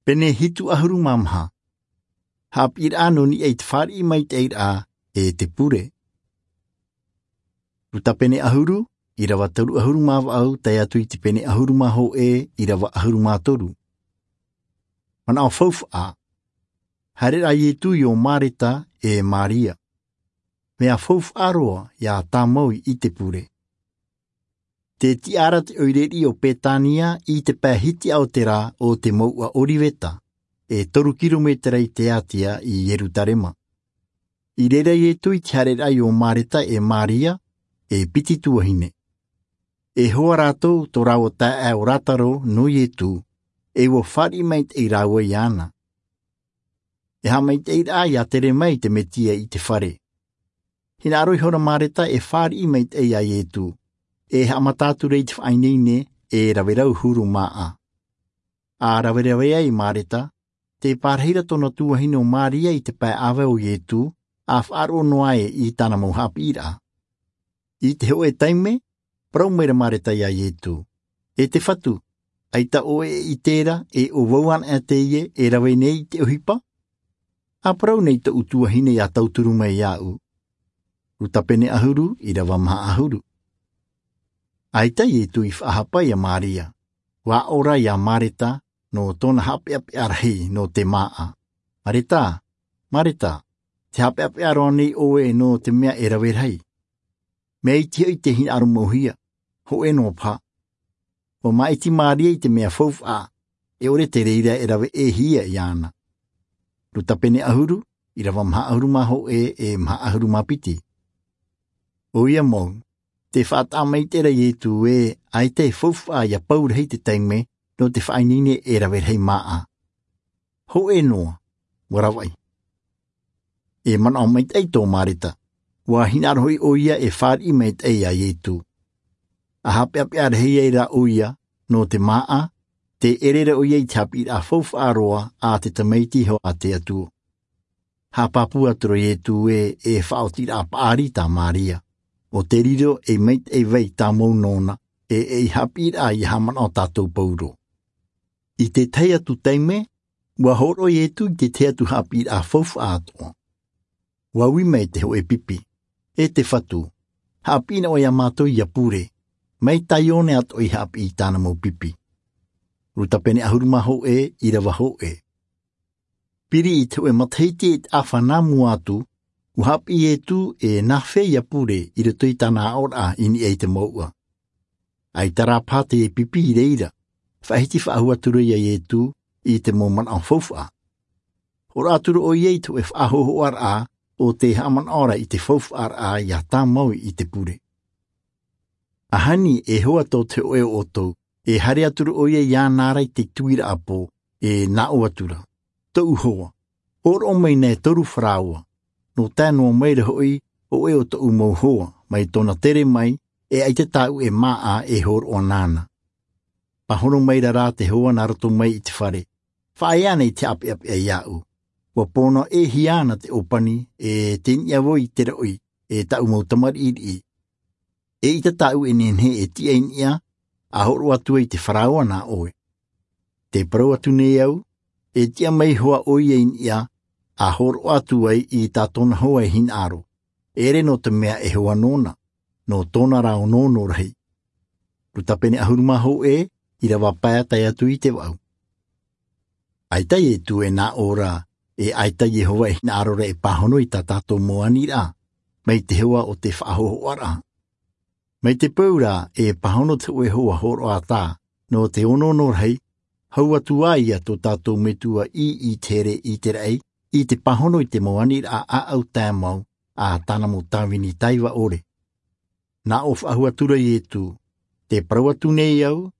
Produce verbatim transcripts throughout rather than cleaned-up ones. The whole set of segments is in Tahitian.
Pene hitu ʻahuru mā maha. Haʻapiʻiraʻa nō niʻa i te fāriʻi maitaʻiraʻa e te pure. Luka pene ʻahuru, ʻīrava toru ʻahuru mā vaʻu tae atu i te pene ʻahuru mā hōʻē, ʻīrava ʻahuru mā toru. Manaʻo faufaʻa. Haere rā Ietu i ʻō Mareta e Maria. Mea faufaʻa roa ia tāmau i te pure. Te tiʻa ra te ʻoire riʻi o Petania i te pae hitiʻa o te rā o te mouʻa Oriveta, e toru kirometera i te ātia i Ierutarema. I reira Ietu i te haereraʻa i ʻō Mareta e Maria, e piti tuahine. E hoa rātou tō rāua taeaʻe o Lasaro nō Ietu, e ʻua fāriʻi maitaʻi rāua iāna. E haʻamaitaʻiraʻa ia tere mai te Mesia i te fare. Hinaʻaro ihora Mareta e fāriʻi maitaʻi ia Ietu, e haʻamata atu ra i te faʻaineine e rave rau huru māʻa. ʻA raverave ai Mareta, tē pārahi ra tōna tuahine o Maria i te pae ʻāvae o Ietu, ʻa faʻaroʻo noa ai i tāna mau haʻapiʻiraʻa. I te hōʻē taime, parau mai ra Mareta ia Ietu, e te Fatu, ʻaita ʻoe e ʻite ra e ʻo vau anaʻe teie e rave nei i te ʻohipa? ʻA parau nei tōʻu tuahine ia tauturu mai iāʻu. Luka pene ʻahuru, ʻīrava maha ʻahuru. ʻAita Ietu i faʻahapa ia Maria, ʻua ʻore ia Mareta nō tōna haʻapeʻapeʻa rahi nō te māʻa. Mareta, Mareta, tē haʻapeʻapeʻa roa nei ʻoe nō te mea e rave rahi. Mea iti hoʻi te hinaʻaro mauhia, hōʻē noa paha. ʻUa māʻiti Maria i te mea faufaʻa, e ʻore te reira e rave ʻē hia iāna. Luka pene ʻahuru, ʻīrava maha ʻahuru mā hōʻē e maha ʻahuru mā piti. ʻOia mau, tē faʻataʻa maitaʻi ra Ietu ē, ʻaita e faufaʻa ia pau rahi te taime nō te faʻaineine e rave rahi māʻa. Hōʻē noa, ʻua ravaʻi. E manaʻo maitaʻi tō Mareta, ʻua hinaʻaro hoʻi ʻoia e fāriʻi maitaʻi ia Ietu. ʻA haʻapeʻapeʻa rahi ai rā ʻoia nō te māʻa, tē ʻere ra ʻoia i te haʻapiʻiraʻa faufaʻa roa a te Tamaiti iho a te Atua. Haʻapāpū atu ra Ietu ē, e faʻaotiraʻa paʻari tā Maria, ʻo te riro ei maitaʻi vai tāmau nōna, e ei haʻapiʻiraʻa ia haʻamanaʻo tātou pauroa. I te tahi atu taime, ʻua hōroʻa Ietu i te tahi atu haʻapiʻiraʻa faufaʻa atoʻa. ʻUa ui mai te hōʻē pipi, e te Fatu, haʻapiʻi na ʻoe ia mātou ia pure, mai tā Ioane atoʻa i haʻapiʻi i tāna mau pipi. Luka pene ʻahuru mā hōʻē, ʻīrava hōʻē. Piri i te hōʻē matahiti e te ʻāfa nā mua atu, ʻua haʻapiʻi Ietu e nāfea ia pure i roto i tāna aʻoraʻa i niʻa i te mouʻa. ʻAita rā paha te pipi i reira, faʻahiti faʻahou atu ra ia Ietu i te mau manaʻo faufaʻa. Hōroʻa atu ra ʻoia i te hōʻē faʻahōhoʻaraʻa ʻo tē haʻamanaʻo ra i te faufaʻaraʻa ia tāmau i te pure. ʻAhani e hoa tō te hōʻē o ʻoutou, e haere atu ra ʻoia iāna ra i te tuiraʻa pō, e nā ʻō atu ra, tōʻu hoa, hōroʻa mai nei toru faraoa, nō tae noa mai ra hoʻi hōʻē o tōʻu mau hoa, mai tōna tere mai, e ʻaita tāʻu e māʻa e hōroʻa nāna. Pāhono mai ra rā te hoa nā roto mai i te fare, faʻaea ana i te haʻapeʻapeʻa iāʻu. ʻUa pōnaʻohia ana te ʻōpani, e te niʻa vau i te roʻi, e tāʻu mau tamariʻi riʻi. Eʻita tāʻu e nehenehe e tiʻa i niʻa, ʻa hōroʻa atu ai te faraoa nā ʻoe. Tē parau atu nei au, e tiʻa mai hoʻi ʻoia i niʻa, ʻa hōroʻa atu ai i tā tōna hoa e hinaʻaro, ʻere nō te mea e hoa nōna, nō tōna rā onoono rahi. Luka pene ʻahuru mā hōʻē, ʻīrava pae tae atu i te vaʻu. ʻAita Ietu e nā ʻō ra, e ʻaita Iehova e hinaʻaro ra e pāhono i tā tātou mau aniraʻa, mai te hoa o te faʻahōhoʻaraʻa. Mai te peu ra e pāhono te hōʻē hoa hōroʻa ata, nō te onoono rahi, hau atu ā ia tō tātou Metua i, i te here i te raʻi, i te pāhono i te mau aniraʻa ʻāʻau taeaʻe, ʻa tāna mau tāvini taiva ʻore. Nā ʻō faʻahou atu ra Ietu, tē parau atu nei au,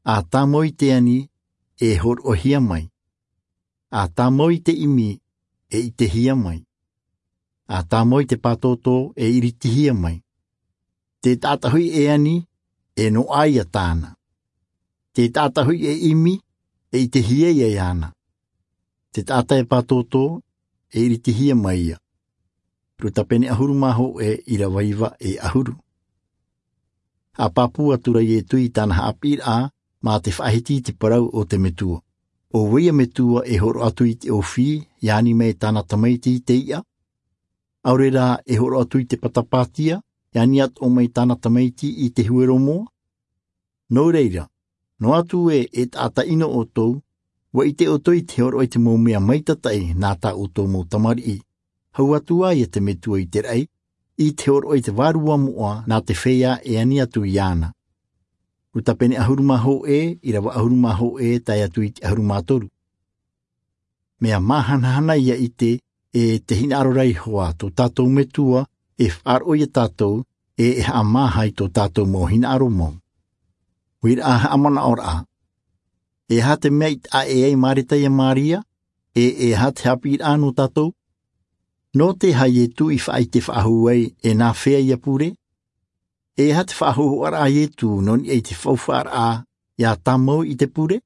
ʻa tāmau i te ani, e hōroʻahia mai. ʻA tāmau i te ʻimi, e ʻitehia mai. ʻA tāmau i te pātōtō, e iritihia mai. Te taʻata hoʻi e ani, e noaʻa ia tāna. Te taʻata hoʻi e ʻimi, e ʻitehia ia iāna. Te taʻata e pātōtō, e iritihia mai ia. Luka pene ʻahuru mā hōʻē, ʻīrava iva e ʻahuru. ʻA pāpū atu ra Ietu i tāna haʻapiʻiraʻa, mā te faʻahiti i te parau o te Metua. ʻO vai ia metua e hōroʻa atu i te ʻōfī, e ani mai tāna tamaiti i te iʻa? ʻAore rā e hōroʻa atu i te patapātia, e ani atoʻa mai tāna tamaiti i te huero moa? Nō reira, noa atu ē e taʻata ʻino ʻoutou, ʻua ʻite ʻoutou i te hōroʻa i te mau mea maitataʻi nā tā ʻoutou mau tamariʻi. Hau atu ā ia te metua i te raʻi, i te hōroʻa i te vārua moʻa nā te feiā e ani atu iāna. Luka pene ʻahuru mā hōʻē, ʻīrava ʻahuru mā hōʻē, tae atu i te ʻahuru mā toru. Mea māhanahana ia ʻite, e te hinaʻaro ra iho ā tō tātou metua, e faʻaroʻo ia tātou, e e haʻamāha i tō tātou mau hinaʻaro mau. Uiraʻa haʻamanaʻoraʻa. E aha te mea i taʻa ʻē ai Mareta ia Maria, e e aha te haʻapiʻiraʻa nō tātou? Nō te aha Ietu i faʻaʻite faʻahou ai, e nā fea ia pure? E aha te faʻahōhoʻaraʻa a Ietu nō niʻa i te faufaʻaraʻa ia tāmau i te pure?